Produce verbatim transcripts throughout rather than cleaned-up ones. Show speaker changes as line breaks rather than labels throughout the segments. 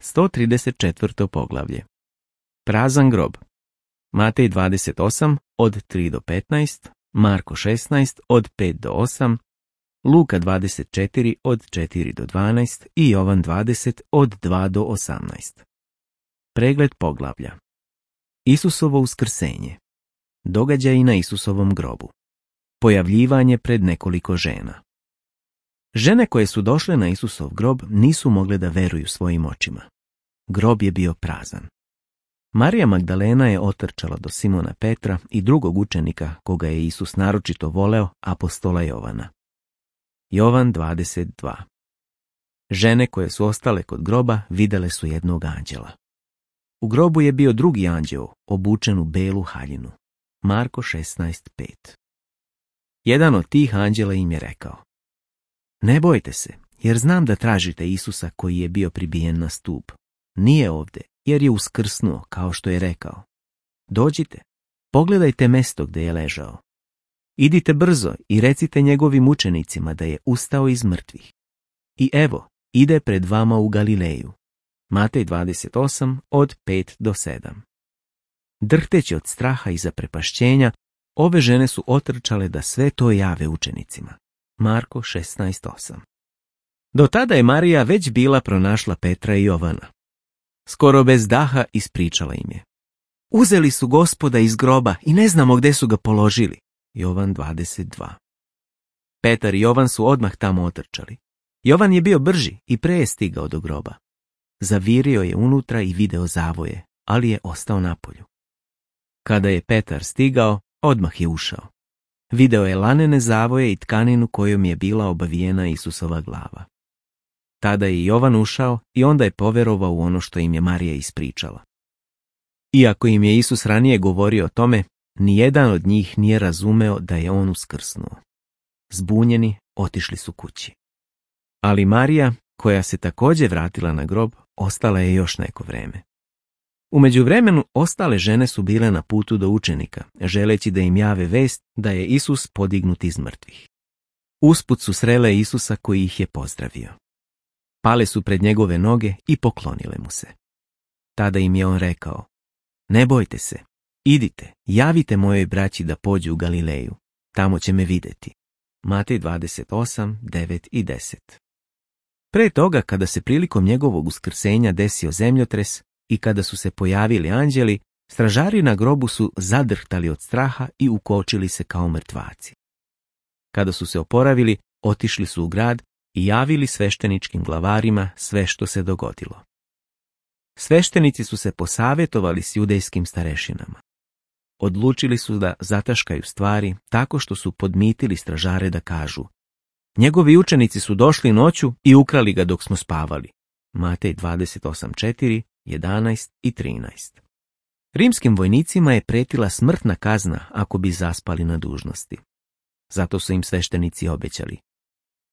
sto trideset četvrto poglavlje. Prazan grob. Matej dvadeset osam od tri do petnaest, Marko šesnaest od pet do osam, Luka dvadeset četiri od četiri do dvanaest i Jovan dvadeset od dva do osamnaest. Pregled poglavlja. Isusovo uskrsenje. Događaji na Isusovom grobu. Pojavljivanje pred nekoliko žena. Žene koje su došle na Isusov grob nisu mogle da veruju svojim očima. Grob je bio prazan. Marija Magdalena je otrčala do Simona Petra i drugog učenika koga je Isus naročito voleo, apostola Jovana. Jovan dvadeset dva. Žene koje su ostale kod groba videle su jednog anđela. U grobu je bio drugi anđeo, obučen u belu haljinu. Marko šesnaest pet. Jedan od tih anđela im je rekao: Ne bojte se, jer znam da tražite Isusa koji je bio pribijen na stup. Nije ovdje, jer je uskrsnuo, kao što je rekao. Dođite, pogledajte mesto gdje je ležao. Idite brzo i recite njegovim učenicima da je ustao iz mrtvih. I evo, ide pred vama u Galileju. Matej dvadeset osam od pet do sedam. Drhteći od straha i zaprepašćenja, ove žene su otrčale da sve to jave učenicima. Marko šesnaest osam. Do tada je Marija već bila pronašla Petra i Jovana. Skoro bez daha ispričala im je: Uzeli su Gospoda iz groba i ne znamo gdje su ga položili. Jovan dvadeset dva. Petar i Jovan su odmah tamo otrčali. Jovan je bio brži i pre je stigao do groba. Zavirio je unutra i video zavoje, ali je ostao napolju. Kada je Petar stigao, odmah je ušao. Video je lanene zavoje i tkaninu kojom je bila obavijena Isusova glava. Tada je Jovan ušao i onda je poverovao u ono što im je Marija ispričala. Iako im je Isus ranije govorio o tome, nijedan od njih nije razumeo da je on uskrsnuo. Zbunjeni, otišli su kući. Ali Marija, koja se također vratila na grob, ostala je još neko vreme. U međuvremenu ostale žene su bile na putu do učenika, želeći da im jave vest da je Isus podignut iz mrtvih. Usput su srele Isusa koji ih je pozdravio. Pale su pred njegove noge i poklonile mu se. Tada im je on rekao: Ne bojte se, idite, javite mojoj braći da pođu u Galileju, tamo će me vidjeti. Matej dvadeset osam, devet i deset. Pre toga, kada se prilikom njegovog uskrsenja desio zemljotres i kada su se pojavili anđeli, stražari na grobu su zadrhtali od straha i ukočili se kao mrtvaci. Kada su se oporavili, otišli su u grad i javili svešteničkim glavarima sve što se dogodilo. Sveštenici su se posavjetovali s judejskim starešinama. Odlučili su da zataškaju stvari tako što su podmitili stražare da kažu: Njegovi učenici su došli noću i ukrali ga dok smo spavali. Matej dvadeset osam četiri, jedanaest i trinaest. Rimskim vojnicima je pretila smrtna kazna ako bi zaspali na dužnosti. Zato su im sveštenici obećali: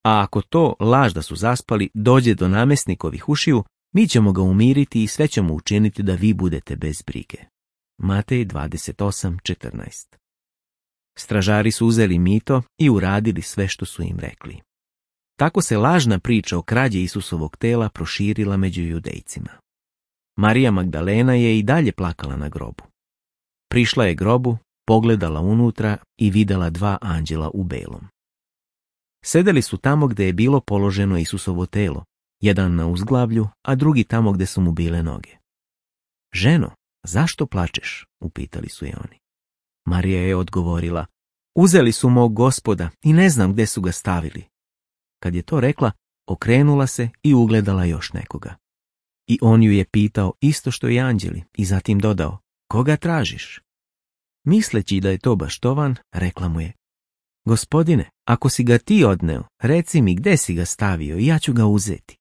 A ako to, laž da su zaspali, dođe do namjesnikovih ušiju, mi ćemo ga umiriti i sve ćemo učiniti da vi budete bez brige. Matej dvadeset osam četrnaest. Stražari su uzeli mito i uradili sve što su im rekli. Tako se lažna priča o krađi Isusovog tela proširila među judejcima. Marija Magdalena je i dalje plakala na grobu. Prišla je grobu, pogledala unutra i videla dva anđela u belom. Sedeli su tamo gdje je bilo položeno Isusovo telo, jedan na uzglavlju, a drugi tamo gdje su mu bile noge. Ženo, zašto plačeš? Upitali su je oni. Marija je odgovorila: Uzeli su mog Gospoda i ne znam gdje su ga stavili. Kad je to rekla, okrenula se i ugledala još nekoga. I on ju je pitao isto što i anđeli i zatim dodao: Koga tražiš? Misleći da je to baštovan, rekla mu je: Gospodine, ako si ga ti odneo, reci mi gdje si ga stavio i ja ću ga uzeti.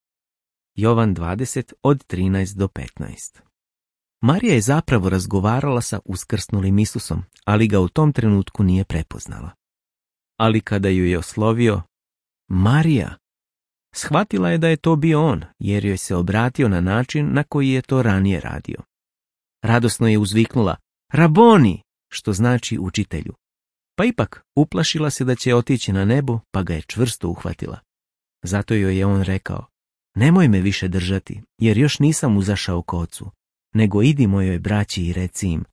Jovan dvadeset od trinaest do petnaest. Marija je zapravo razgovarala sa uskrsnulim Isusom, ali ga u tom trenutku nije prepoznala. Ali kada ju je oslovio: Marija, shvatila je da je to bio on, jer joj se obratio na način na koji je to ranije radio. Radosno je uzviknula: Raboni, što znači učitelju. Pa ipak uplašila se da će otići na nebo, pa ga je čvrsto uhvatila. Zato joj je on rekao: nemoj me više držati, jer još nisam uzašao k ocu, nego idi mojoj braći i reci im,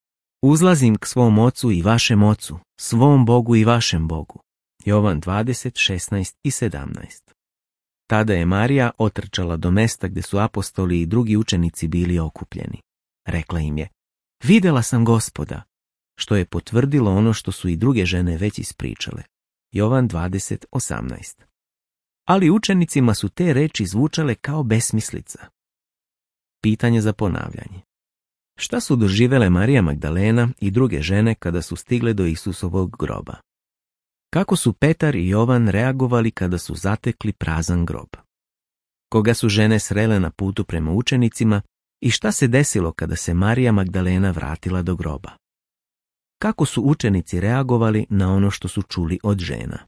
uzlazim k svom ocu i vašem ocu, svom Bogu i vašem Bogu. Jovan dvadeset, šesnaest i sedamnaest. Tada je Marija otrčala do mesta gdje su apostoli i drugi učenici bili okupljeni. Rekla im je, vidjela sam Gospoda, što je potvrdilo ono što su i druge žene već ispričale. Jovan dvadeset, osamnaest. Ali učenicima su te reči zvučale kao besmislica. Pitanje za ponavljanje. Šta su doživjele Marija Magdalena i druge žene kada su stigle do Isusovog groba? Kako su Petar i Jovan reagovali kada su zatekli prazan grob? Koga su žene srele na putu prema učenicima i šta se desilo kada se Marija Magdalena vratila do groba? Kako su učenici reagovali na ono što su čuli od žena?